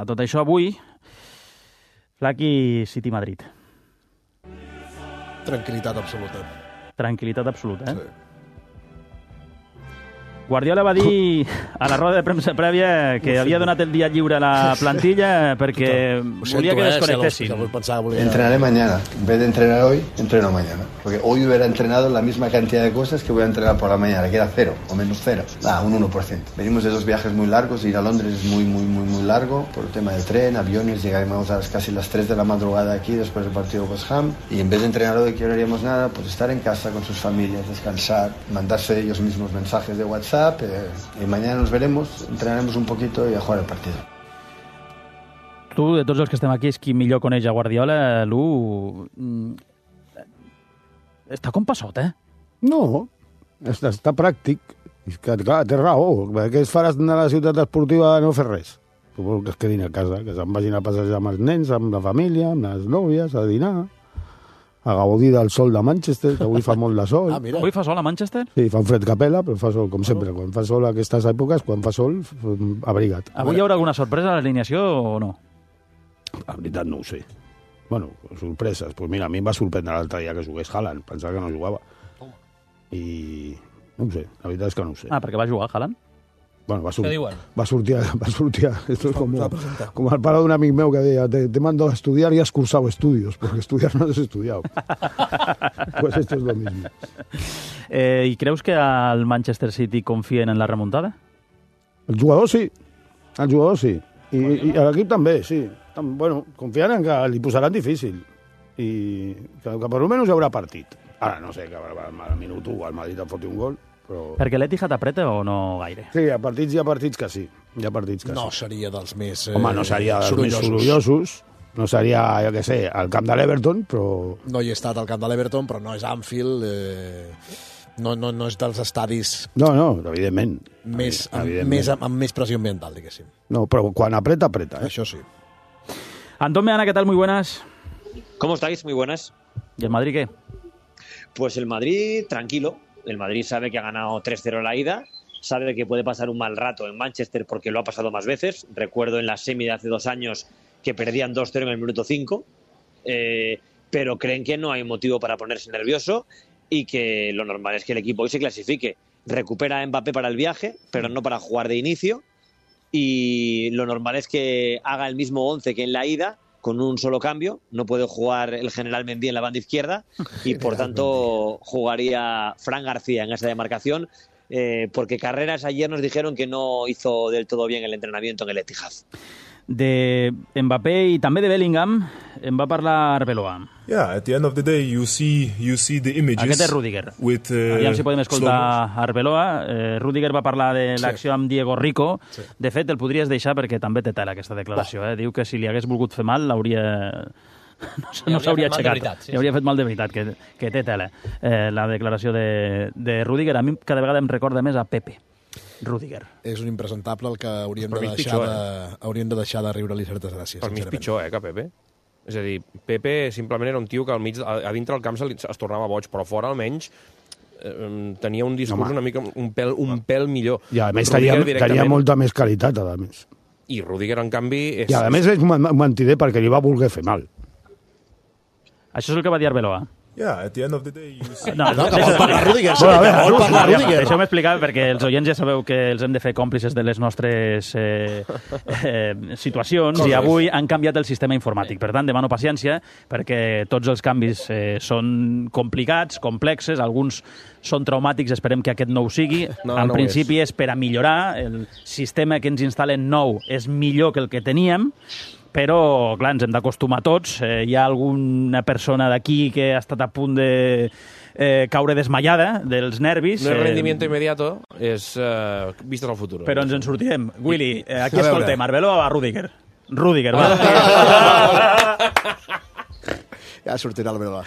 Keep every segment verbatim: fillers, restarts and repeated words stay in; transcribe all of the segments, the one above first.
A tot això, avui, Flaqui City Madrid. Tranquil·litat absoluta. Tranquil·litat absoluta, eh? Sí. Guardiola va dir a la roda de premsa prèvia que havia donat el dia lliure a la plantilla perquè volia que desconectessin. Entrenaré mañana. En vez de entrenar hoy, entreno mañana. Porque hoy hubiera entrenado la misma cantidad de cosas que voy a entrenar por la mañana, que era cero o menos cero. Ah, un uno por ciento. Venimos de dos viajes muy largos. Ir a Londres es muy, muy, muy, muy largo por el tema del tren, aviones. Llegaremos a las casi las tres de la madrugada aquí después del partido West Ham. Y en vez de entrenar hoy, que no haríamos nada, pues estar en casa con sus familias, descansar, mandarse ellos mismos mensajes de WhatsApp. Eh, y mañana nos veremos, entrenaremos un poquito y a jugar el partido. Tu, de tots els que estem aquí, és qui millor coneix a Guardiola. Lu, està com passot, eh? No, està, està pràctic. És que, clar, té raó. Què es faràs anar a la ciutat esportiva a no fer res? Suposo que es quedin a casa, que se'n vagin a passejar amb els nens, amb la família, amb les nòvies, a dinar, a gaudir del sol de Manchester, que avui fa molt de sol. Ah, mira. Avui fa sol a Manchester? Sí, fa un fred capella, però fa sol, com sempre. Quan fa sol a aquestes èpoques, quan fa sol, abrigat. Avui hi haurà alguna sorpresa a l'alineació o no? La veritat no ho sé. Bueno, sorpreses. Pues mira, a mi em va sorprendre l'altre dia que jugués Haaland. Pensava que no jugava. I no ho sé, la veritat és que no ho sé. Ah, perquè va jugar Haaland? Bueno, va, sur Què diuen? va sortir, va sortir, esto es como, como al palo de un amigo meu que deia, te, te mando a estudiar y has cursado estudios, porque estudiar no has estudiado. Pues esto es lo mismo. Eh, I creus que al Manchester City confien en la remuntada? El jugador sí, el jugador sí. I, i l'equip també, sí. Bueno, confien en que li posaran difícil i que, que per almenys hi haurà partit. Ara no sé, que al minut u al Madrid et foti un gol, però... Perquè l'Etihad apreta o no gaire? Sí, hi ha partits, hi ha partits que sí. Hi ha partits que No sí. seria dels més eh, Home, no seria dels més sorollosos. No seria, jo què sé, al camp de l'Everton, però... No hi he estat al camp de l'Everton, però no és Anfield, eh, no, no, no és dels estadis No, no, evidentment. més, amb, Evidentment. més, amb més pressió ambiental, diguéssim. No, però quan apreta, apreta. Eh? Això sí. Antón Meana, ¿qué tal? Muy buenas. ¿Cómo estáis? Muy buenas. ¿Y el Madrid qué? Pues el Madrid, tranquilo. El Madrid sabe que ha ganado tres cero la ida, sabe que puede pasar un mal rato en Manchester porque lo ha pasado más veces. Recuerdo en la semi de hace dos años que perdían dos cero en el minuto cinco, eh, pero creen que no hay motivo para ponerse nervioso y que lo normal es que el equipo hoy se clasifique. Recupera a Mbappé para el viaje, pero no para jugar de inicio, y lo normal es que haga el mismo once que en la ida, con un solo cambio. No puede jugar el general Mendy en la banda izquierda y por tanto jugaría Fran García en esa demarcación, eh, porque Carreras ayer nos dijeron que no hizo del todo bien el entrenamiento en el Etihad. De Mbappé i també de Bellingham en va parlar Arbeloa. Yeah, at the end of the day you see you see the images. Aquest és Rüdiger. With, uh, Aviam si podem escoltar Arbeloa. Eh, Rüdiger va parlar de l'acció amb Diego Rico. Sí. De fet, el podries deixar perquè també té tela aquesta declaració. Eh? Diu que si li hagués volgut fer mal l'hauria... No, no s'hauria aixecat. Veritat, sí, Li hauria fet mal de veritat, que, que té tela. Eh, la declaració de, de Rüdiger a mi cada vegada em recorda més a Pepe. Rüdiger. És un impresentable el que hauríem Per de mi és deixar pitjor, de, hauríem de deixar de riure-li certes gràcies. Per mi és sincerament. pitjor, eh, que Pepe. És a dir, Pepe simplement era un tio que al mig, a, a dintre del camp se li, es tornava boig, però fora almenys eh, tenia un discurs Home. una mica un pèl, un pèl millor. I a més Rüdiger tenia, directament- tenia molta més qualitat, a més. I Rüdiger, en canvi... És... I a més és un mentider perquè li va voler fer mal. Això és el que va dir Arbeloa. Yeah, at the end of the day you see. No, No, que vol parlar Rüdiger, sí, Bueno, a veure, que vol parlar Rüdiger. Deixeu-me explicar, perquè els oients ja sabeu que els hem de fer còmplices de les nostres eh, eh, situacions, i avui han canviat el sistema informàtic. Per tant, demano paciència, perquè tots els canvis eh, són complicats, complexes, alguns són traumàtics, esperem que aquest no ho sigui. No, en no ho principi és. és per a millorar, el sistema que ens instal·len nou és millor que el que teníem, però, clar, ens hem d'acostumar tots. Eh, hi ha alguna persona d'aquí que ha estat a punt de eh, caure desmaiada dels nervis. No és eh, rendimiento inmediato, és uh, vistes al futur. Però ens en sortirem. Willy, eh, aquí A veure. escoltem, Arbeloa o a Rüdiger? Rüdiger, va. Ja sortirà el Belva.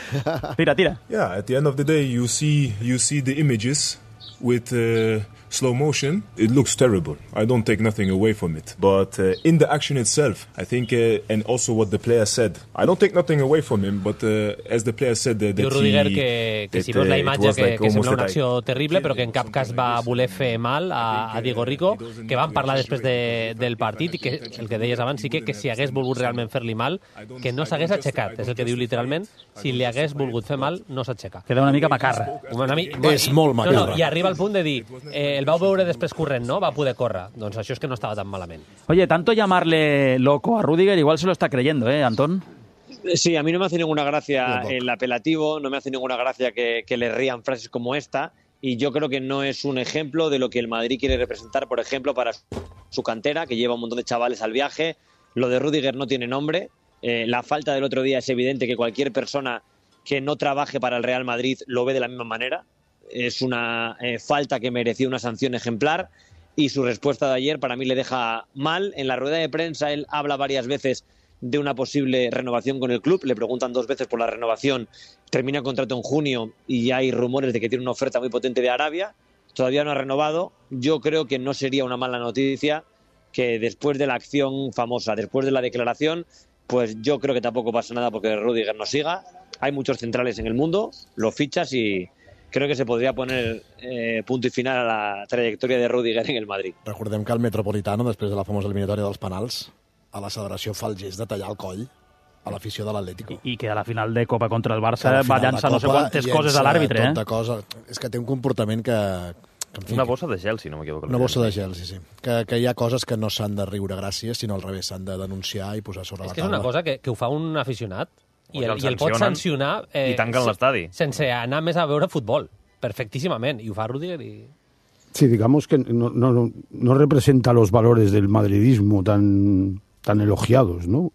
Tira, tira. Yeah, at the end of the day you see you see the images with uh, slow motion, it looks terrible. I don't take nothing away from it. But uh, in the action itself, I think, uh, and also what the player said, I don't take nothing away from him, but uh, as the player said, uh, that Diu Rudiger he, que, que that, si veus la uh, imatge que, like que sembla una like, acció terrible, però que en cap cas va voler fer mal a, a Diego Rico, que van parlar després de, del partit i que el que deies abans sí que, que si hagués volgut realment fer-li mal, que no s'hagués aixecat, és el que diu literalment, si li hagués volgut fer mal, no s'aixeca. Queda una mica macarra. Una mi... És molt macarra. No, no, i arriba al punt de dir, eh, el vau veure després corrent, no? Va poder córrer. Doncs això és que no estava tan malament. Oye, tanto llamarle loco a Rudiger, igual se lo está creyendo, ¿eh, Antón? Sí, a mí no me hace ninguna gracia el apelativo, no me hace ninguna gracia que, que le rían frases como esta, y yo creo que no es un ejemplo de lo que el Madrid quiere representar, por ejemplo, para su cantera, que lleva un montón de chavales al viaje. Lo de Rudiger no tiene nombre. Eh, la falta del otro día es evidente que cualquier persona que no trabaje para el Real Madrid lo ve de la misma manera. Es una eh, falta que merecía una sanción ejemplar, y su respuesta de ayer para mí le deja mal. En la rueda de prensa él habla varias veces de una posible renovación con el club, le preguntan dos veces por la renovación, termina el contrato en junio y ya hay rumores de que tiene una oferta muy potente de Arabia, todavía no ha renovado. Yo creo que no sería una mala noticia que después de la acción famosa, después de la declaración, pues yo creo que tampoco pasa nada porque Rudiger no siga. Hay muchos centrales en el mundo, lo fichas y creo que se podria poner eh, punto i final a la trajectòria de Rudiger en el Madrid. Recordem que el Metropolitano, després de la famosa eliminatòria dels penals, a la celebració fa el gest de tallar el coll a l'afició de l'Atlético. I, I que a la final de Copa contra el Barça va llançar no sé quantes coses a l'àrbitre. Eh? Cosa. És que té un comportament que... que en fi, una bossa de gel, si no m'equivoco. Una bossa de gel, sí, sí. Que, que hi ha coses que no s'han de riure gràcies, sinó al revés, s'han de denunciar i posar sobre és la taula. És que és una cosa que, que ho fa un aficionat i el, el, i el pot sancionar eh, i tanquen l'estadi sense anar més a veure futbol, perfectísimamente, y ho fa Rudiger y... Sí, digamos que no, no, no representa los valores del madridismo tan, tan elogiados, ¿no?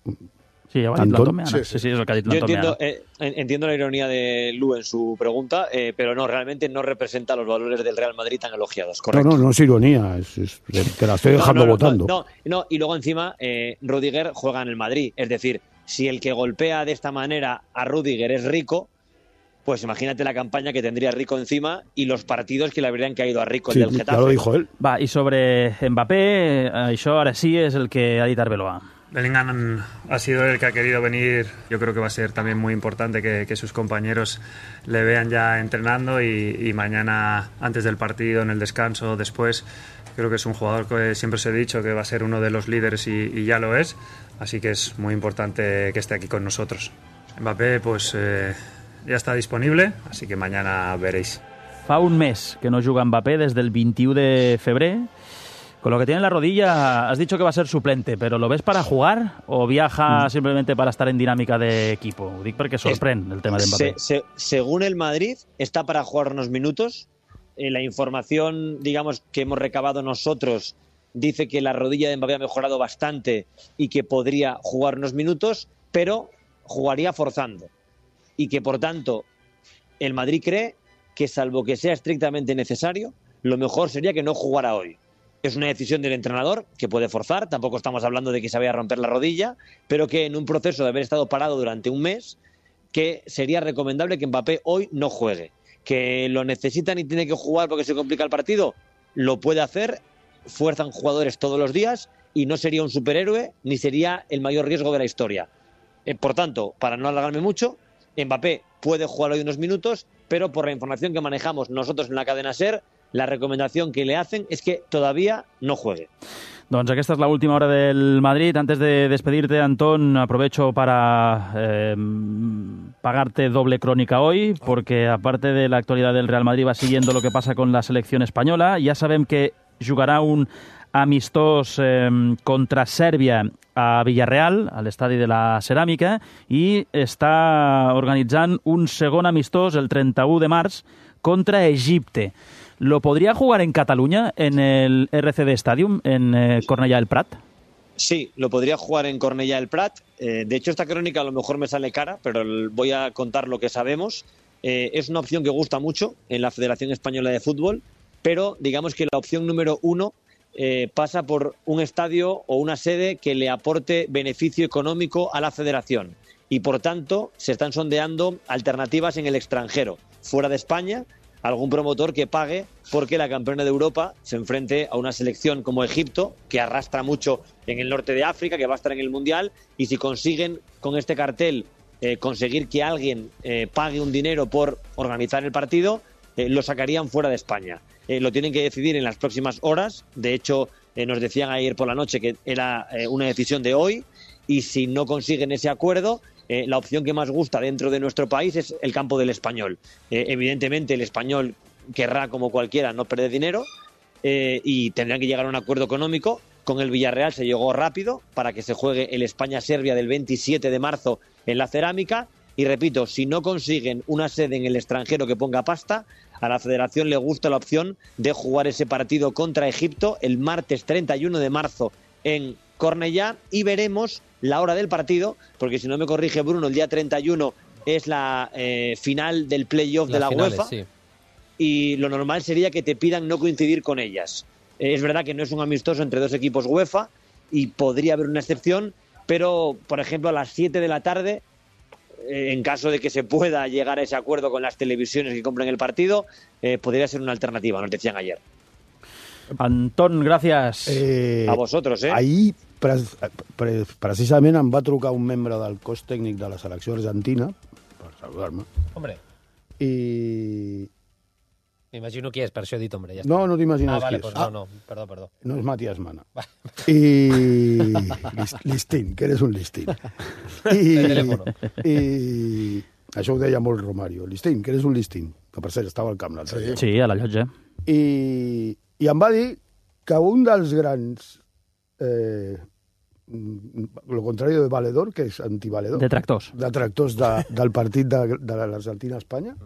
Sí, ya va a decir sí, sí, sí, es lo que ha dicho Yo entiendo, eh, entiendo la ironía de Lu en su pregunta, eh, pero no, realmente no representa los valores del Real Madrid tan elogiados, correcto. No, no, no es ironía, es, es, te la estoy dejando no, no, votando. No, no, no, y luego encima eh, Rudiger juega en el Madrid, es decir, si el que golpea de esta manera a Rudiger es Rico, pues imagínate la campaña que tendría Rico encima y los partidos que le habrían caído a Rico, sí, el del Getafe. Ya lo dijo él. Va, y sobre Mbappé, això ara sí es el que ha dit Arbeloa. Bellingham ha sido el que ha querido venir. Yo creo que va a ser también muy importante que, que sus compañeros le vean ya entrenando y, y mañana, antes del partido, en el descanso, después, creo que es un jugador que siempre os he dicho que va a ser uno de los líderes y, y ya lo es. Así que es muy importante que esté aquí con nosotros. Mbappé, pues eh, ya está disponible, así que mañana veréis. Fa un mes que no juga Mbappé, desde el veintiuno de febrer. Con lo que tiene en la rodilla, has dicho que va a ser suplente, pero ¿lo ves para jugar o viaja mm. simplemente para estar en dinámica de equipo? Ho dic perquè sorprèn el tema de Mbappé. Se, se, según el Madrid, está para jugar unos minutos. Eh, la información, digamos, que hemos recabado nosotros dice que la rodilla de Mbappé ha mejorado bastante y que podría jugar unos minutos, pero jugaría forzando. Y que, por tanto, el Madrid cree que, salvo que sea estrictamente necesario, lo mejor sería que no jugara hoy. Es una decisión del entrenador que puede forzar, tampoco estamos hablando de que se vaya a romper la rodilla, pero que en un proceso de haber estado parado durante un mes, que sería recomendable que Mbappé hoy no juegue. Que lo necesitan y tiene que jugar porque se complica el partido, lo puede hacer, fuerzan jugadores todos los días y no sería un superhéroe ni sería el mayor riesgo de la historia. Eh, por tanto, para no alargarme mucho, Mbappé puede jugar hoy unos minutos, pero por la información que manejamos nosotros en la cadena SER, la recomendación que le hacen es que todavía no juegue. Doncs aquesta és la última hora del Madrid. Antes de despedirte, Antón, aprovecho para eh, pagarte doble crónica hoy, porque aparte de la actualidad del Real Madrid va siguiendo lo que pasa con la selección española. Ja sabem que jugarà un amistós eh, contra Sèrbia a Villarreal, a l'estadi de la Ceràmica, i està organitzant un segon amistós el trenta-u de març contra Egipte. ¿Lo podría jugar en Cataluña, en el R C D Stadium, en eh, Cornellà del Prat? Sí, lo podría jugar en Cornellà del Prat. Eh, de hecho, esta crónica a lo mejor me sale cara, pero voy a contar lo que sabemos. Eh, es una opción que gusta mucho en la Federación Española de Fútbol, pero digamos que la opción número uno eh, pasa por un estadio o una sede que le aporte beneficio económico a la federación. Y por tanto, se están sondeando alternativas en el extranjero, fuera de España, algún promotor que pague porque la campeona de Europa se enfrente a una selección como Egipto, que arrastra mucho en el norte de África, que va a estar en el Mundial, y si consiguen con este cartel eh, conseguir que alguien eh, pague un dinero por organizar el partido, eh, lo sacarían fuera de España. Eh, lo tienen que decidir en las próximas horas. De hecho, eh, nos decían ayer por la noche que era eh, una decisión de hoy, y si no consiguen ese acuerdo, Eh, la opción que más gusta dentro de nuestro país es el campo del Español. Eh, evidentemente el Español querrá, como cualquiera, no perder dinero eh, y tendrán que llegar a un acuerdo económico. Con el Villarreal se llegó rápido para que se juegue el España-Serbia del veintisiete de marzo en la Cerámica. Y repito, si no consiguen una sede en el extranjero que ponga pasta, a la Federación le gusta la opción de jugar ese partido contra Egipto el martes treinta y uno de marzo en Cornellá, y veremos la hora del partido, porque si no me corrige Bruno, el día treinta y uno es la eh, final del playoff de la finales, UEFA, sí. Y lo normal sería que te pidan no coincidir con ellas. Eh, es verdad que no es un amistoso entre dos equipos UEFA y podría haber una excepción, pero por ejemplo a las siete de la tarde, eh, en caso de que se pueda llegar a ese acuerdo con las televisiones que compren el partido, eh, podría ser una alternativa, nos decían ayer. Anton, gràcies. Eh, a vosotros, eh? Ahir, pre pre precisament, em va trucar un membre del cos tècnic de la selecció argentina per saludar-me. Hombre. I... M'imagino qui és, per això he dit, hombre. Ja no, no t'imagines ah, vale, qui és. Pues no, no, perdó, perdó. No és Matías Mana. I... Listín, que eres un listín. I... De teléfono. I... Això ho deia molt Romario. Listín, que eres un listín. Que per cert estava al camp l'altre dia. Sí, a la llotja. I... I em va dir que un dels grans... Eh, lo contrario de valedor, que és antivaledor. Detractors. Detractors de, del partit de, de l'Argentina a Espanya,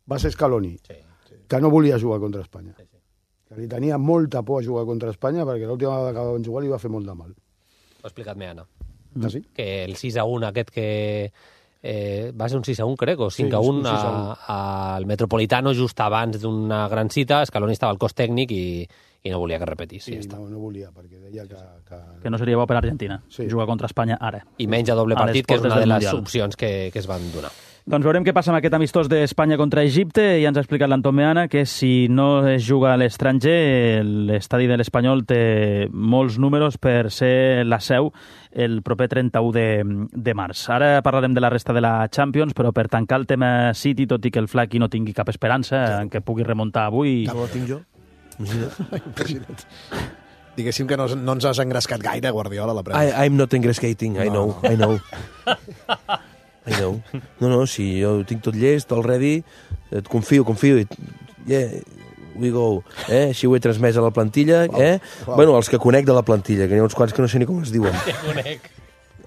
va ser Scaloni, sí, sí. Que no volia jugar contra Espanya. Sí, sí. Que li tenia molta por a jugar contra Espanya perquè l'última vegada que van jugar li va fer molt de mal. Ho ha explicat Meana. Ah, sí? Que el sis a un aquest que... Eh, va ser un sis a un, crec, o cinc a un sí, al Metropolitano just abans d'una gran cita. Scaloni estava al cos tècnic i, i no volia que repetís. Sí, ja està. no, no volia, perquè deia que... Que, que no seria bo per Argentina, sí. Jugar contra Espanya ara. I menys a doble a partit, que és una de les mundial. opcions que, que es van donar. Doncs veurem què passa amb aquest amistós d'Espanya contra Egipte. Ja ens ha explicat l'Anton Meana que si no es juga a l'estranger, l'estadi de l'Espanyol té molts números per ser la seu el proper trenta-u de març. Ara parlarem de la resta de la Champions, però per tancar el tema City, tot i que el Flaqui no tingui cap esperança sí. en què pugui remuntar avui... Ja no la tinc jo. Imagina't. Diguéssim que no, no ens has engrescat gaire, Guardiola, la premsa. I, I'm not engrescating, I know, I know. I know. No, no, si jo ho tinc tot llest, all ready, et confio, confio, i yeah, we go. Eh? Així ho he transmès a la plantilla, wow, eh? Wow. Bueno, els que conec de la plantilla, que n'hi ha uns quants que no sé ni com es diuen. Que conec.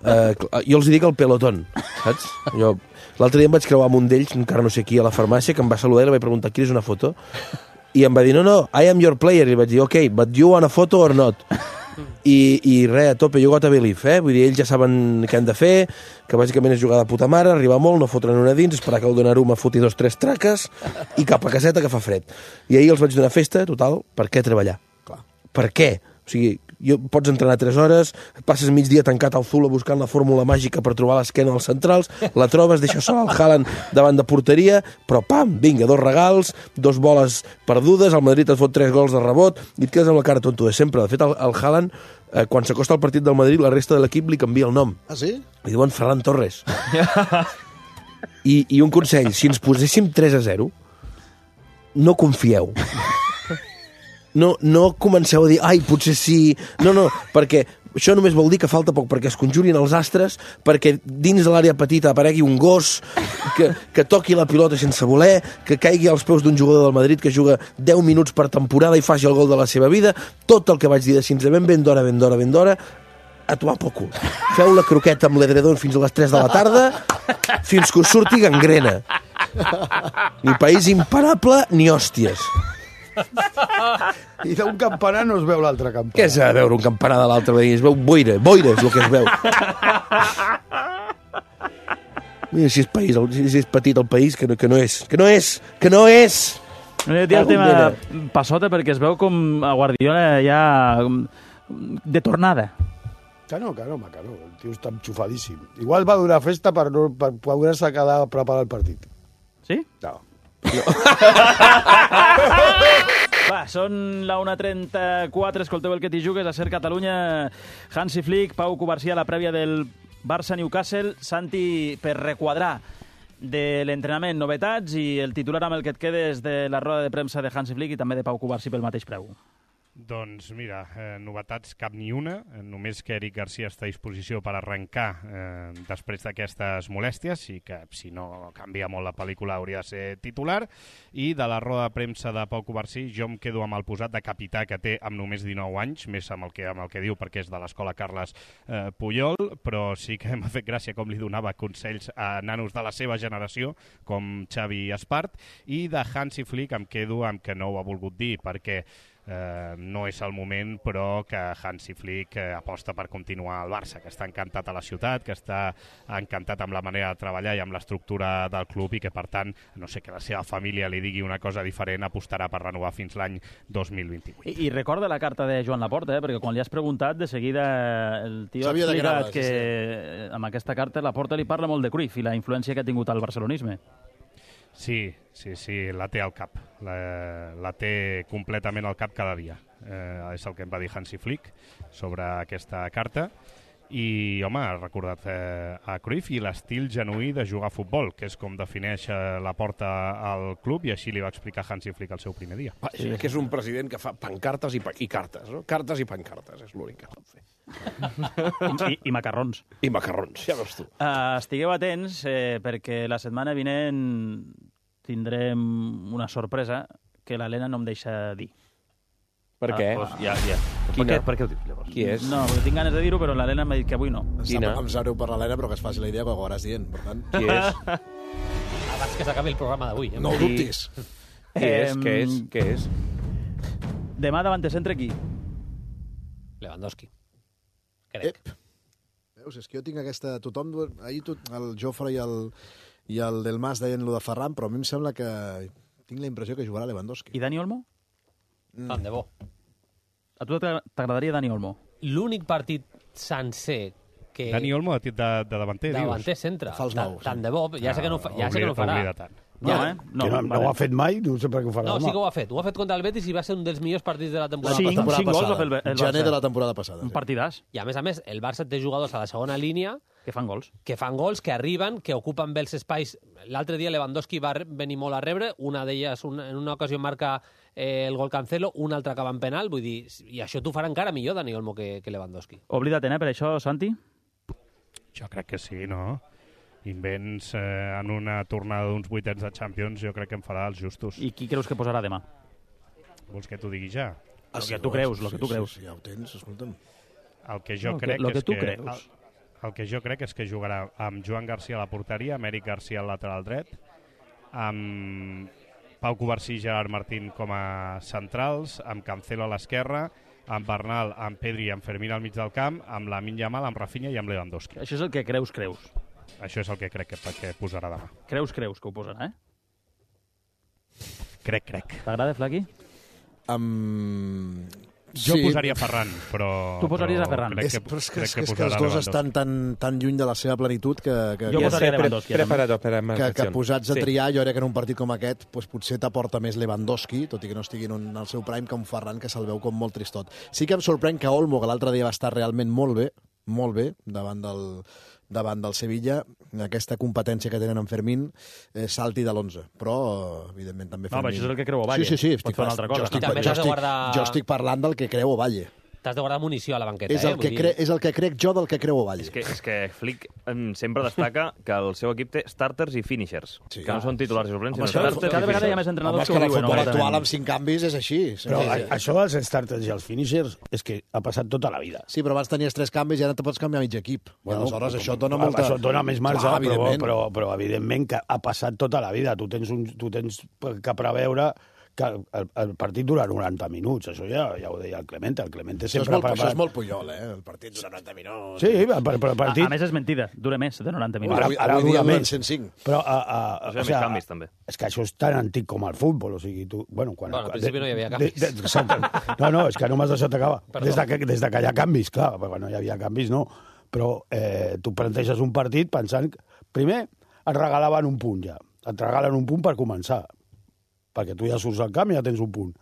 Uh, jo els dic el pelotón, saps? Jo, l'altre dia em vaig creuar amb un d'ells, encara no sé qui, a la farmàcia, que em va saludar i li vaig preguntar, quina és una foto? I em va dir, no, no, I am your player. I vaig dir, ok, but you want a photo or not? I, i res, a tope, you got a believe, eh? Vull dir, ells ja saben què han de fer, que bàsicament és jugar de puta mare, arribar molt, no fotre'n una dins, esperar que el Donnarumma foti dos, tres traques i cap a caseta que fa fred. I ahir els vaig donar festa, total, per què treballar? Clar. Per què? O sigui, jo, pots entrenar tres hores, passes migdia tancat al Zula buscant la fórmula màgica per trobar l'esquena als centrals, la trobes, deixes sol al Haaland davant de porteria, però pam, vinga, dos regals, dos boles perdudes, el Madrid et fot tres gols de rebot i et quedes amb la cara tonto de sempre. De fet, el, el Haaland, eh, quan s'acosta al partit del Madrid, la resta de l'equip li canvia el nom. Ah, sí? Li diuen Ferran Torres. I, I un consell, si ens poséssim tres a zero, no confieu. No, no comenceu a dir, ai, potser sí... No, no, perquè això només vol dir que falta poc perquè es conjurin els astres, perquè dins de l'àrea petita aparegui un gos que, que toqui la pilota sense voler, que caigui als peus d'un jugador del Madrid que juga deu minuts per temporada i faci el gol de la seva vida. Tot el que vaig dir de fins a ben ben d'hora, ben d'hora, ben d'hora, a tomar pel cul. Feu la croqueta amb l'edredon fins a les tres de la tarda, fins que us surti gangrena. Ni país imparable, ni hòsties. I d'un campanar no es veu l'altre campanar. Què s'ha de veure un campanar de l'altre? Es veu boira, boira és el que es veu. Mira si és, país, si és petit el país, que no, que no és, que no és, que no és! No he dit el tema passota perquè es veu com a Guardiola ja de tornada. Que no, que no, que no, el tio està enxufadíssim. Igual va durar festa per, no, per poder-se quedar a preparar el partit. Sí? No. Va, són la una trenta-quatre, escolteu el que t'hi jugues, a Ser Catalunya, Hansi Flick, Pau Covarsí a la prèvia del Barça-Newcastle. Santi, per requadrar de l'entrenament, novetats i el titular amb el que et quedes de la roda de premsa de Hansi Flick i també de Pau Covarsí pel mateix preu. Doncs mira, eh, novetats cap ni una, eh, només que Eric Garcia està a disposició per arrencar eh, després d'aquestes molèsties, i que si no canvia molt la pel·lícula hauria de ser titular. I de la roda de premsa de Pau Covarsí jo em quedo amb el posat de capità que té amb només dinou anys, més amb el que, amb el que diu perquè és de l'escola Carles eh, Puyol, però sí que m'ha fet gràcia com li donava consells a nanos de la seva generació, com Xavi Espart. I de Hansi Flick em quedo amb que no ho ha volgut dir, perquè Eh, no és el moment, però que Hansi Flick eh, aposta per continuar al Barça, que està encantat a la ciutat, que està encantat amb la manera de treballar i amb l'estructura del club, i que per tant, no sé, que la seva família li digui una cosa diferent, apostarà per renovar fins l'any dos mil vint-i-vuit. I, I recorda la carta de Joan Laporta, eh? Perquè quan li has preguntat, de seguida el tio ha Sabia de explicat què que anaves, amb aquesta carta Laporta li parla molt de Cruyff i la influència que ha tingut al barcelonisme. Sí, sí, sí, la té al cap. La, la té completament al cap cada dia. Eh, és el que em va dir Hansi Flick sobre aquesta carta. I, home, ha recordat eh, a Cruyff i l'estil genuí de jugar a futbol, que és com defineix eh, la porta al club, i així li va explicar Hansi Flick el seu primer dia. Va, sí, que és un president que fa pancartes i, pa i cartes, no? Cartes i pancartes, és l'únic que pot fer. I, I macarrons. I macarrons, ja veus tu. Uh, estigueu atents, eh, perquè la setmana vinent tindrem una sorpresa que l'Helena no em deixa dir. Per què? Ah, doncs ja, ja. Per què, per què ho dius, llavors? Qui és? No, perquè tinc ganes de dir-ho, però l'Helena m'ha dit que avui no. Quina? Em sap greu per l'Helena, però que es faci la idea que ho acabaràs dient, per tant. Qui és? Abans que s'acabi el programa d'avui. No ho dubtis. Qui és? Què és? Què és? Demà davant de centre qui? Lewandowski. Crec. Ep. Veus, és que jo tinc aquesta... Tothom... Ahir tot, el Jofre i el, i el Del Mas deien lo de Ferran, però a mi em sembla que tinc la impressió que jugarà Lewandowski. I Dani Olmo? Mm. Tant de bo. A tu t'agradaria Dani Olmo? L'únic partit sencer que... Dani Olmo de, de, de davanter, dius? Davanter centre. Fals nou, Tant de bo. Ja sé que no, fa, ja sé que no ho farà. Oblida tant. No, Ja, eh? No, No, no, no ho ha fet mai, no sé per què ho farà no, demà. sí que ho ha fet. Ho ha fet contra el Betis i va ser un dels millors partits de la temporada. Cinc, temporada cinc gols passada. va fer el, el Gener Barça. de la temporada passada. Un Sí. partidàs I a més a més, el Barça té jugadors a la segona línia que fan gols. que fan gols, que arriben, que ocupen bé els espais. L'altre dia Lewandowski va re- venir molt a rebre, una d'elles una, en una ocasió marca eh, el gol Cancelo, una altra acaba en penal, vull dir, i això t'ho farà encara millor Dani Olmo que, que Lewandowski. Oblida't, eh, per això, Santi? Jo crec que sí, no? Invents eh, en una tornada d'uns vuitens de Champions, jo crec que em farà els justos. I qui creus que posarà demà? Vols que t'ho digui ja? Ah, Lo sí, que tu no, creus, sí, lo que tu sí, creus. Sí, ja ho tens, escolta'm. El que jo Lo que- crec lo que és tu que... creus. El, el que jo crec és que jugarà amb Joan Garcia a la porteria, amb Eric Garcia al lateral dret, amb Pau Covarsí i Gerard Martín com a centrals, amb Cancelo a l'esquerra, amb Bernal, amb Pedri i amb Fermín al mig del camp, amb Lamine Yamal, amb Rafinha i amb Lewandowski. Això és el que creus, creus. Això és el que crec que, que posarà demà. Creus, creus que ho posarà, eh? Crec, crec. T'agrada, Flaqui? Um... Jo posaria Ferran, però... Tu posaries però a Ferran. Crec És, que, però és que, crec és, que que, és que posarà els dos Lewandowski. estan tan, tan lluny de la seva plenitud que, que, Jo que, posaria Lewandowski. Preparado para más que, que acción. posats a Sí. triar, jo crec que en un partit com aquest pues, potser t'aporta més Lewandowski, tot i que no estigui en un, al seu prime, que un Ferran que se'l veu com molt tristot. Sí que em sorprèn que Olmo, que l'altre dia va estar realment molt bé, molt bé, davant del, davant del Sevilla, aquesta competència que tenen en Fermín, eh, salti de l'onze. Però, evidentment, també No, Fermín... però això és el que creu Ovalle. Sí, sí, sí. Pot fer una altra cosa. Jo estic, I també jo, t'has de estic, guardar- jo estic parlant del que creu Ovalle. T'has de guardar munició a la banqueta, És eh? el, que Vull cre, dir- és el que crec jo del que creu Ovalle. És que, és que Flick em, sempre destaca que el seu equip té starters i finishers, Sí. que no són titulars i suplents, Home, sinó això- starters Cada i vegada hi ha finishers. més Home, entrenadors és que que ho en el diuen. futbol obertament. actual amb cinc canvis és així. Sí, Però sí, a- sí. això dels starters i els finishers és que ha passat tota la vida. Sí, però abans tenies tres canvis i ara te pots canviar mig equip. Bueno, I aleshores això et dona clar, molta... Això et dona més marge, Clar, però, evidentment. però, però evidentment que ha passat tota la vida. Tu tens, un, tu tens que preveure que el, el partit dura noranta minuts. Això ja, ja ho deia el Clemente. El Clemente Això és, sempre molt, ha això és preparat... molt Puyol, eh? El partit dura noranta minuts. Sí, però, però el A, partit... a més, és mentida. Dura més de noranta minuts. Ara, Avui- ara avui dia dura duren més. cent cinc. Però, a, a, Això hi ha més canvis, també. És que això és tan antic com el futbol, o sigui, tu... Bueno, quan, Bueno, al principi no hi havia de- canvis. de- de- exacte. No, no, és que no m'has deixat acabar. Perdó. Des de, que, des de que hi ha canvis, clar, perquè quan no hi havia canvis, no. Però eh, tu planteges un partit pensant... que, primer, et regalaven un punt, ja. Et regalen un punt per començar. perquè tu ja surts al camp i ja tens un punt.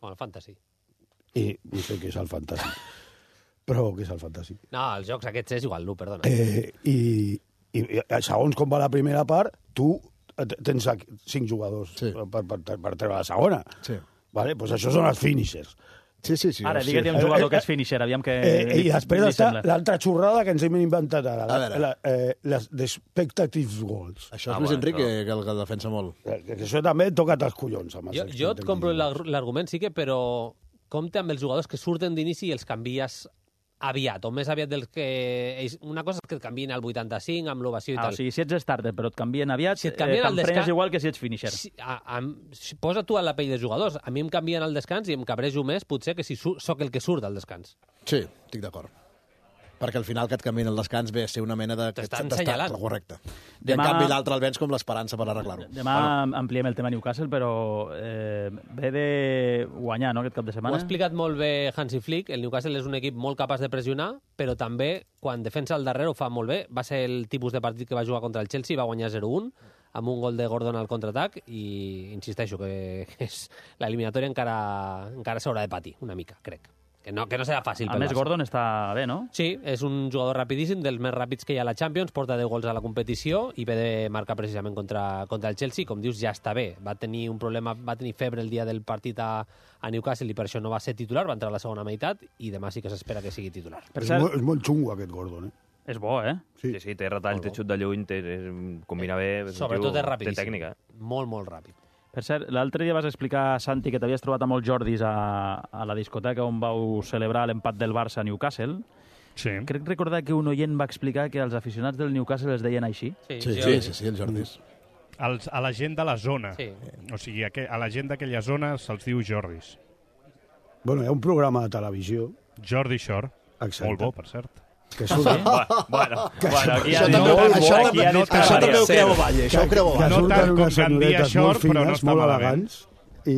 Com el fantasy. I no sé què és el fantasy. Però què és el fantasy? No, els jocs aquests és igual, no, perdona. Eh, i, i, I segons com va la primera part, tu tens cinc jugadors sí. per, per, per treure la segona. Sí. Vale? Pues això són els finishers. Sí, sí, sí. Ara, digue-t'hi un jugador que és finisher, aviam que... Eh, I després està l'altra xorrada que ens hem inventat ara, la, la, eh, les expectative goals. Això és ah, Luis bueno, Enrique, no. que el, que el defensa molt. Que, que això també toca't els collons. Amb jo, jo et compro l'argument, sí que, però compte amb els jugadors que surten d'inici i els canvies aviat, o més aviat del que... Una cosa és que et canvien al vuitanta-cinc, amb l'ovació i ah, tal. O sigui, si ets starter però et canvien aviat, si et canvien eh, t'emprenyes descans... igual que si ets finisher. Si, a, a, si posa tu a la pell dels jugadors. A mi em canvien al descans i em cabrejo més, potser, que si su sóc el que surt al descans. Sí, estic d'acord. Perquè al final que et canvien el descans ve a ser una mena de... T'estan senyalant. Correcte. I Demà... en canvi l'altre el vens com l'esperança per arreglar-ho. Demà bueno. ampliem el tema Newcastle, però eh, ve de guanyar, no?, aquest cap de setmana. Ho ha explicat molt bé Hansi Flick. El Newcastle és un equip molt capaç de pressionar, però també, quan defensa al darrere, ho fa molt bé. Va ser el tipus de partit que va jugar contra el Chelsea, va guanyar zero un, amb un gol de Gordon al contraatac, i insisteixo que l'eliminatòria encara, encara s'haurà de patir una mica, crec. Que no, que no serà fàcil. A més, Gordon està bé, no? Sí, és un jugador rapidíssim, dels més ràpids que hi ha a la Champions, porta deu gols a la competició i ve de marcar precisament contra, contra el Chelsea. Com dius, ja està bé. Va tenir un problema, va tenir febre el dia del partit a, a Newcastle i per això no va ser titular, va entrar a la segona meitat i demà sí que s'espera que sigui titular. Per és, molt, és molt xungo aquest Gordon, eh? És bo, eh? Sí, sí, sí té retall, té xut de lluny, té, combina bé... Sobretot és rapidíssim. Té tècnica. Molt, molt ràpid. Per cert, l'altre dia vas explicar, Santi, que t'havies trobat a molts Jordis a, a la discoteca on vau celebrar l'empat del Barça a Newcastle. Sí. Crec recordar que un oient va explicar que els aficionats del Newcastle els deien així. Sí, sí, sí, sí, sí els Jordis. Els, a la gent de la zona. Sí. O sigui, a la gent d'aquella zona se'ls diu Jordis. Bueno, hi ha un programa de televisió... Jordi Shore. Exacte. Molt bo, per cert. Que surt... Sí? Bueno, que bueno, aquí això, ha també, dit això, això, també, aquí això, això també ho creu Valle, això ho creu Que Valle. surten no unes senyoretes Shore, molt fines, però no molt malament. elegants, i,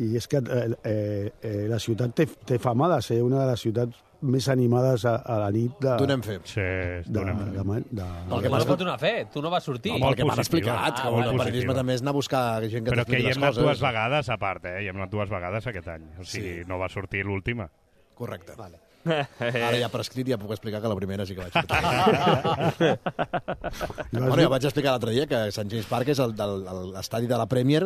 i és que eh, eh, la ciutat té, té fama de ser una de les ciutats més animades a, a la nit de... Donem fe. Sí, donem fe. De, de, de, El que m'has donar fe, tu no vas sortir. No, el que m'han explicat, que el periodisme també és anar a buscar gent que però que hi hem anat coses. dues vegades a part, eh? Hi hem anat dues vegades aquest any. O sigui, sí. No va sortir l'última. Correcte. Vale. Ara ja prescrit ja puc explicar que la primera sí que vaig sortir. Bueno, ja vaig explicar l'altre dia que Sant James Park és l'estadi de la Premier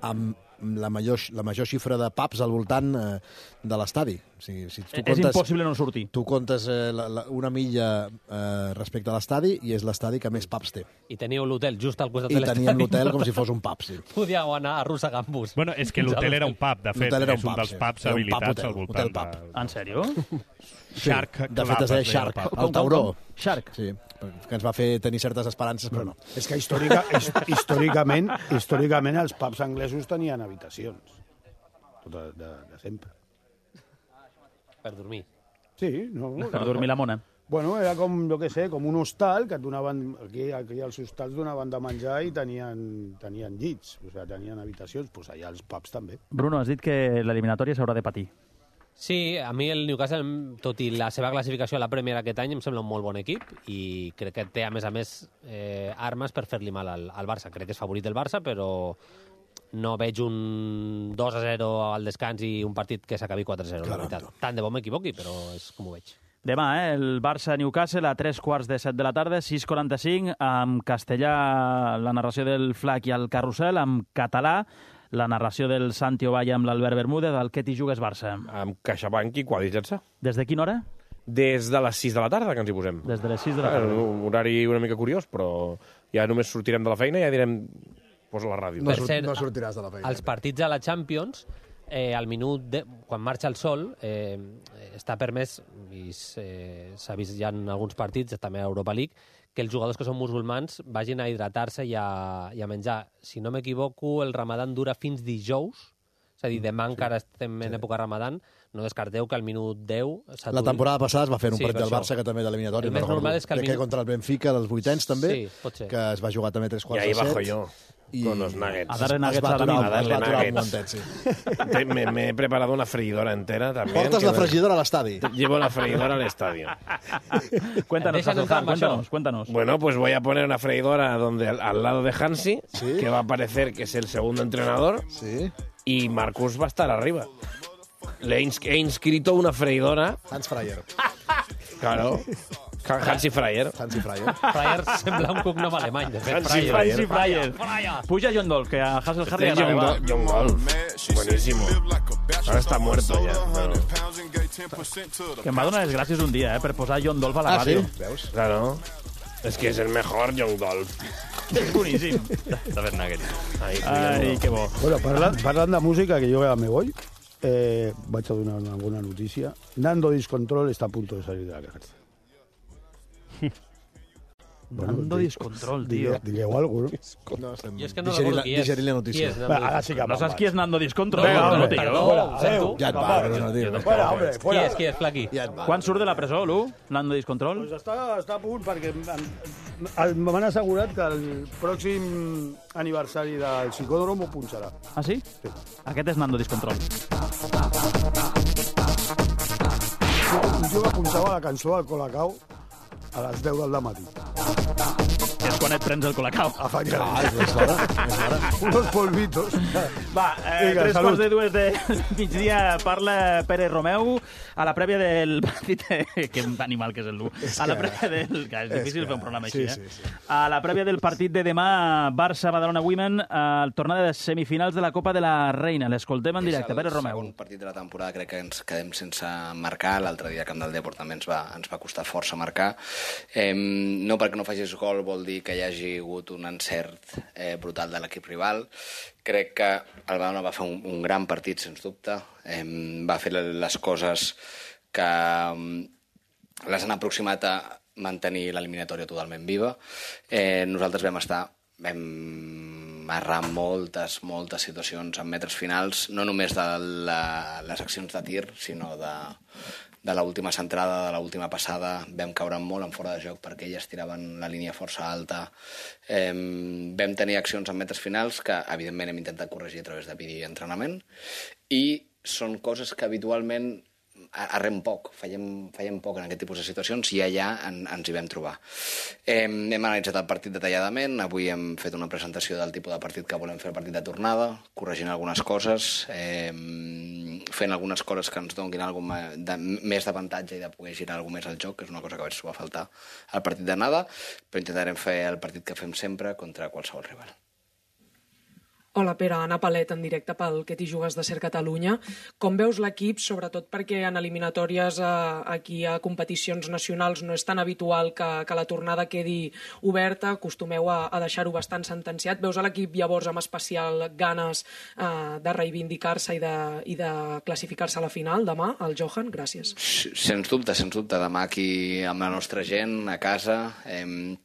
amb la major, la major xifra de pubs al voltant eh, de l'estadi. O sigui, si tu és comptes, impossible no sortir. Tu comptes eh, la, la, una milla eh, respecte a l'estadi i és l'estadi que més pubs té. I teníeu l'hotel just al costat I de l'estadi. teníem l'hotel com si fos un pub, sí. Podíeu anar arrossegant-vos. Bueno, és que l'hotel era un pub, de fet. Era un és un pub, dels sí. pubs Era un habilitats pub, al voltant. hotel pub. De... En sèrio? Shark sí. De fet, es deia Shark, Club, el tauró. Shark. Sí, que ens va fer tenir certes esperances, però no. És que històrica, històricament, històricament els pubs anglesos tenien habitacions. Tot de, de, de sempre. Per dormir. Sí, no? Per dormir la mona. Bueno, era com, jo què sé, com un hostal que et donaven... Aquí, aquí els hostals donaven de menjar i tenien, tenien llits, o sigui, tenien habitacions, doncs allà els pubs també. Bruno, has dit que l'eliminatòria s'haurà de patir. Sí, a mi el Newcastle, tot i la seva classificació a la Premier aquest any, em sembla un molt bon equip i crec que té, a més a més, eh, armes per fer-li mal al, al Barça. Crec que és favorit del Barça, però no veig un dos a zero al descans i un partit que s'acabi quatre a zero. La veritat. Tant de bo m'equivoqui, però és com ho veig. Demà, eh, el Barça-Newcastle a tres quarts de set de la tarda, sis quaranta-cinc, amb castellà la narració del Flac i el Carrusel, amb català la narració del Santi Ovalla amb l'Albert Bermúdez, del Què t'hi jugues Barça. Amb CaixaBank i Quadritzat-se. Des de quina hora? Des de les sis de la tarda, que ens hi posem. Des de les sis de la tarda. Un horari una mica curiós, però ja només sortirem de la feina i ja direm... Posa la ràdio. No, cert, no sortiràs de la feina. Els partits a la Champions, eh, al minut, de, quan marxa el sol, eh, està permès, i eh, s'ha vist ja en alguns partits, també a Europa League, que els jugadors que són musulmans vagin a hidratar-se i, i a menjar. Si no m'equivoco, el Ramadan dura fins dijous, és a dir, demà sí. encara estem en època Ramadan, no descarteu que al minut deu s'aturi. La temporada passada es va fer un sí, partit del Barça que també d'eliminatori. El més normal és que... Crec minut... que contra el Benfica dels vuitens també, sí, pot ser. que es va jugar també tres quarts de set. I ahí bajo jo. Y con los nuggets. A darle Es nuggets va a la aturar, nit. A darle es va aturar un nuggets. momentet, sí. Te- Me, me he preparado una freidora entera también. Portes que la me- fregidora a l'estadi. Llevo la freidora al estadio. Cuéntanos, Deixa'ns entrar Hasselham, amb això. cuéntanos, cuéntanos. Bueno, pues voy a poner una freidora donde, al, al lado de Hansi, Sí. que va a parecer que es el segundo entrenador, Sí. y Marcus va a estar arriba. Le he, ins- he inscrito una freidora, Hans Fryer. claro, Hansi Fryer. Hansi Fryer. Fryer sembla un cognom alemany, de fet. Hansi Fryer. Hansi Fryer. Puja John Dol, que a Hasselham li Este es agrada. John, va. Do- John Golf. Buenísimo. Ahora está muerto ya. Pero, Que em va donar les gràcies un dia, eh, per posar John Dolph a la Ah, sí? ràdio. Veus? claro. Es que es el mejor John Golf. És boníssim. David Nugget. Ahí, Ai, que bo. Bueno, parlant, parlant de música, que jo ja me voy, eh, vaig a donar una bona notícia. Nando Discontrol está a punto de salir de la cárcel. Nando di- Discontrol, tio. Digue- Digueu alguna cosa, no? No, estem... Jo és que no Digerir recordo la, qui és. digerir la notícia. Qui és, Va, ara sí que No saps me'n qui és Nando Discontrol? Vinga, no, hombre, tio. perdó. Fuera, ho sento. adéu. Ja et va, no, tio. Fuera, hombre, Qui fuera. és, qui és, Flaqui? Ja et va. Quan surt de la presó, Lu? Nando Discontrol? Pues està, està a punt perquè em- m'han assegurat que el pròxim aniversari del psicòdrom ho punxarà. Ah, sí? Sí. Aquest és Nando Discontrol. Un tio que punxava la cançó del Colacao a les deu del matí. És quan et prens el colacao. Efectivament. Ah, és més l'hora. És l'hora. Unos polvitos. Va, eh, Vinga, tres salut. quarts de dues de migdia parla Pere Romeu a la prèvia del partit... que animal que és el Lu. A la que- prèvia del... Que és difícil que- fer un programa sí, així, eh? sí, sí. A la prèvia del partit de demà, Barça-Badalona Women, a la tornada de semifinals de la Copa de la Reina. L'escoltem en directe, Pere És el Romeu. segon partit de la temporada, crec que ens quedem sense marcar. L'altre dia a Camp del Depor també ens va, ens va costar força marcar. Eh, no perquè no facis gol vol dir que hi hagi hagut un encert eh, brutal de l'equip rival. Crec que el Badalona va fer un, un gran partit, sens dubte. Eh, va fer les coses que eh, les han aproximat a mantenir l'eliminatòria totalment viva. Eh, nosaltres vam estar... vam errar moltes, moltes situacions en metres finals, no només de la, les accions de tir, sinó de, de l'última centrada, de l'última passada. Vam caure molt en fora de joc perquè elles tiraven la línia força alta. Eh, vam tenir accions en metres finals que, evidentment, hem intentat corregir a través de vídeo i entrenament, i són coses que habitualment arrem poc, fallem, fallem poc en aquest tipus de situacions i allà en, ens hi vam trobar. Eh, hem analitzat el partit detalladament, avui hem fet una presentació del tipus de partit que volem fer el partit de tornada, corregint algunes coses, eh, fent algunes coses que ens donin alguna de, més d'avantatge i de poder girar alguna més al joc, que és una cosa que vaig trobar a faltar al partit d'anada, però intentarem fer el partit que fem sempre contra qualsevol rival. Hola, Pere, Anna Palet, en directe pel Que t'hi jugues de Ser Catalunya. Com veus l'equip, sobretot perquè en eliminatòries eh, aquí a competicions nacionals no és tan habitual que, que la tornada quedi oberta, acostumeu a, a deixar-ho bastant sentenciat. Veus a l'equip llavors amb especial ganes eh, de reivindicar-se i de, i de classificar-se a la final demà, al Johan? Gràcies. Sens dubte, sens dubte. Demà aquí amb la nostra gent, a casa... Eh,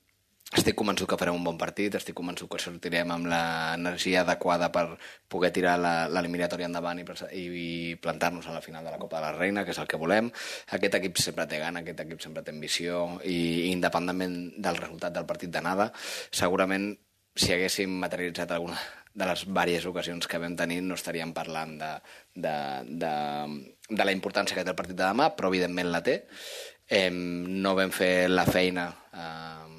Estic convençut que farem un bon partit, estic convençut que sortirem amb l'energia adequada per poder tirar l'eliminatòria endavant i, i plantar-nos a la final de la Copa de la Reina, que és el que volem. Aquest equip sempre té gana, aquest equip sempre té ambició i independentment del resultat del partit d'anada, segurament si haguéssim materialitzat alguna de les diverses ocasions que vam tenir no estaríem parlant de, de, de, de la importància que té el partit de demà, però evidentment la té. Eh, no vam fer la feina eh,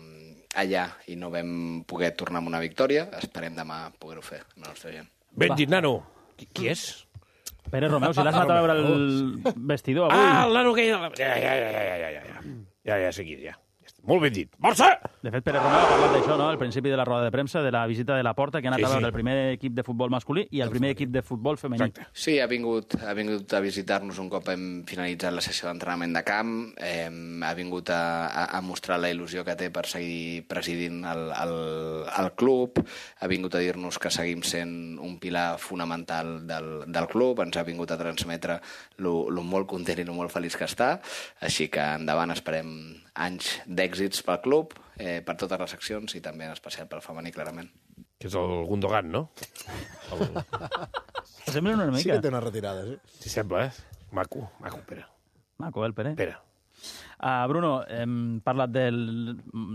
allà i no vam poder tornar amb una victòria. Esperem demà poder-ho fer amb la nostra gent. Benji, nano. Qui, qui és? Pere Romeu, si l'has anat a veure el vestidor avui... Ah, el nano que... Ja, ja, ja, ja, ja, ja, ja. Ja, ja, sé qui és, ja. Molt ben dit. Barça! De fet, Pere Romeu ha parlat d'això, no?, al principi de la roda de premsa, de la visita de la Porta, que ha anat Sí, a veure sí. el primer equip de futbol masculí i el primer equip de futbol femení. Exacte. Sí, ha vingut, ha vingut a visitar-nos un cop hem finalitzat la sessió d'entrenament de camp, eh, ha vingut a, a, a mostrar la il·lusió que té per seguir presidint el, el, el club, ha vingut a dir-nos que seguim sent un pilar fonamental del, del club, ens ha vingut a transmetre lo, lo molt content i lo molt feliç que està, així que endavant esperem anys d'èxits pel club, eh, per totes les seccions i també en especial pel femení, clarament. Que és el Gundogan, no? El... Sembla una mica. Sí que té una retirada, sí. Sí, sembla, eh? Maco, maco, Pere. Maco, el Pere. Pere. Uh, Bruno, hem parlat del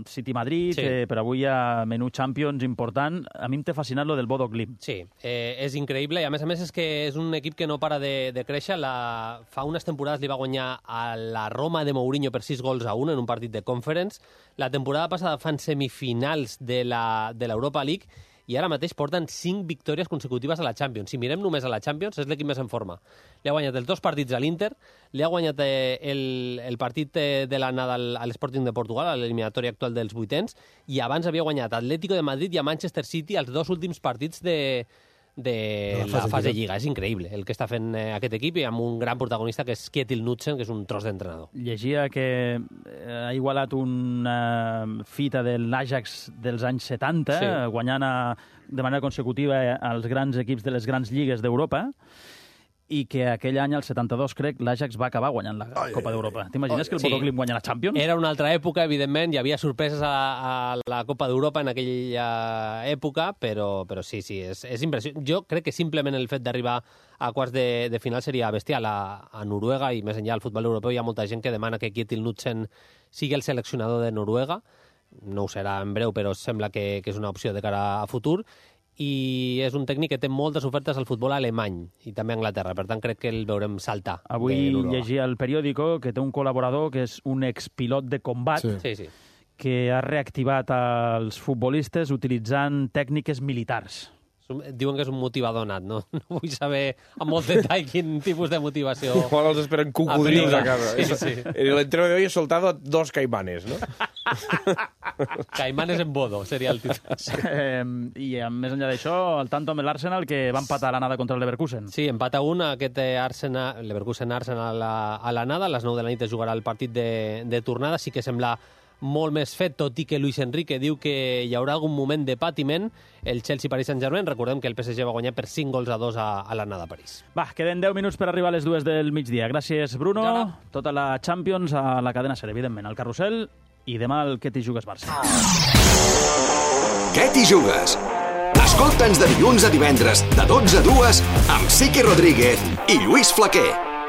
City-Madrid, sí. eh, però avui hi ha menú Champions important. A mi em té fascinat lo del Bodo Glimt. Sí, eh, és increïble i a més a més és que és un equip que no para de, de créixer. La... Fa unes temporades li va guanyar a la Roma de Mourinho per sis gols a un en un partit de Conference. La temporada passada fan semifinals de la de l'Europa League i ara mateix porten cinc victòries consecutives a la Champions. Si mirem només a la Champions, és l'equip més en forma. Li ha guanyat els dos partits a l'Inter, li ha guanyat eh, el, el partit eh, de l'anada a l'Sporting de Portugal, a l'eliminatòria actual dels vuitens, i abans havia guanyat Atlético de Madrid i a Manchester City els dos últims partits de, de la fase, la fase de Lliga. És increïble el que està fent eh, aquest equip i amb un gran protagonista que és Kjetil Knutsen, que és un tros d'entrenador. Llegia que ha igualat una fita de l'Ajax dels anys setanta, sí. guanyant a, de manera consecutiva als grans equips de les grans lligues d'Europa, i que aquell any, el setanta-dos, crec, l'Ajax va acabar guanyant la ai, Copa d'Europa. T'imagines que el Bodo Glimt guanya la Champions? Era una altra època, evidentment, hi havia sorpreses a, a la Copa d'Europa en aquella època, però, però sí, sí, és, és impressionant. Jo crec que simplement el fet d'arribar a quarts de, de final seria bestial. A, a Noruega i més enllà al futbol europeu hi ha molta gent que demana que Kjetil Knutsen sigui el seleccionador de Noruega. No ho serà en breu, però sembla que, que és una opció de cara a futur. I és un tècnic que té moltes ofertes al futbol alemany i també a Anglaterra, per tant crec que el veurem saltar. Avui llegia al periòdico que té un col·laborador que és un expilot de combat sí. Sí, sí. que ha reactivat els futbolistes utilitzant tècniques militars. Diuen que és un motivador nat, no? No vull saber amb molt detall quin tipus de motivació... Igual els esperen cocodrils a casa. Sí, sí. El entrenador de hoy ha soltado dos caimanes, ¿no? Caimanes en bodo, seria el títol. Eh, I més enllà d'això, el tanto amb l'Arsenal que va empatar a l'anada contra el Leverkusen. Sí, empata un, aquest Arsenal, Leverkusen-Arsenal a, a l'anada, a les nou de la nit es jugarà el partit de, de tornada, sí que sembla molt més fet, tot i que Luis Enrique diu que hi haurà algun moment de patiment. El Chelsea-Paris Saint-Germain, recordem que el P S G va guanyar per cinc gols a dos a, a l'anada a París. Va, queden deu minuts per arribar a les dues del migdia. Gràcies, Bruno. Ja tota la Champions a la cadena SER, evidentment, al Carrusel, i demà el Què t'hi jugues Barça. Què t'hi jugues? Escolta'ns de dilluns a divendres, de dotze a dues, amb Sique Rodríguez i Lluís Flaquer.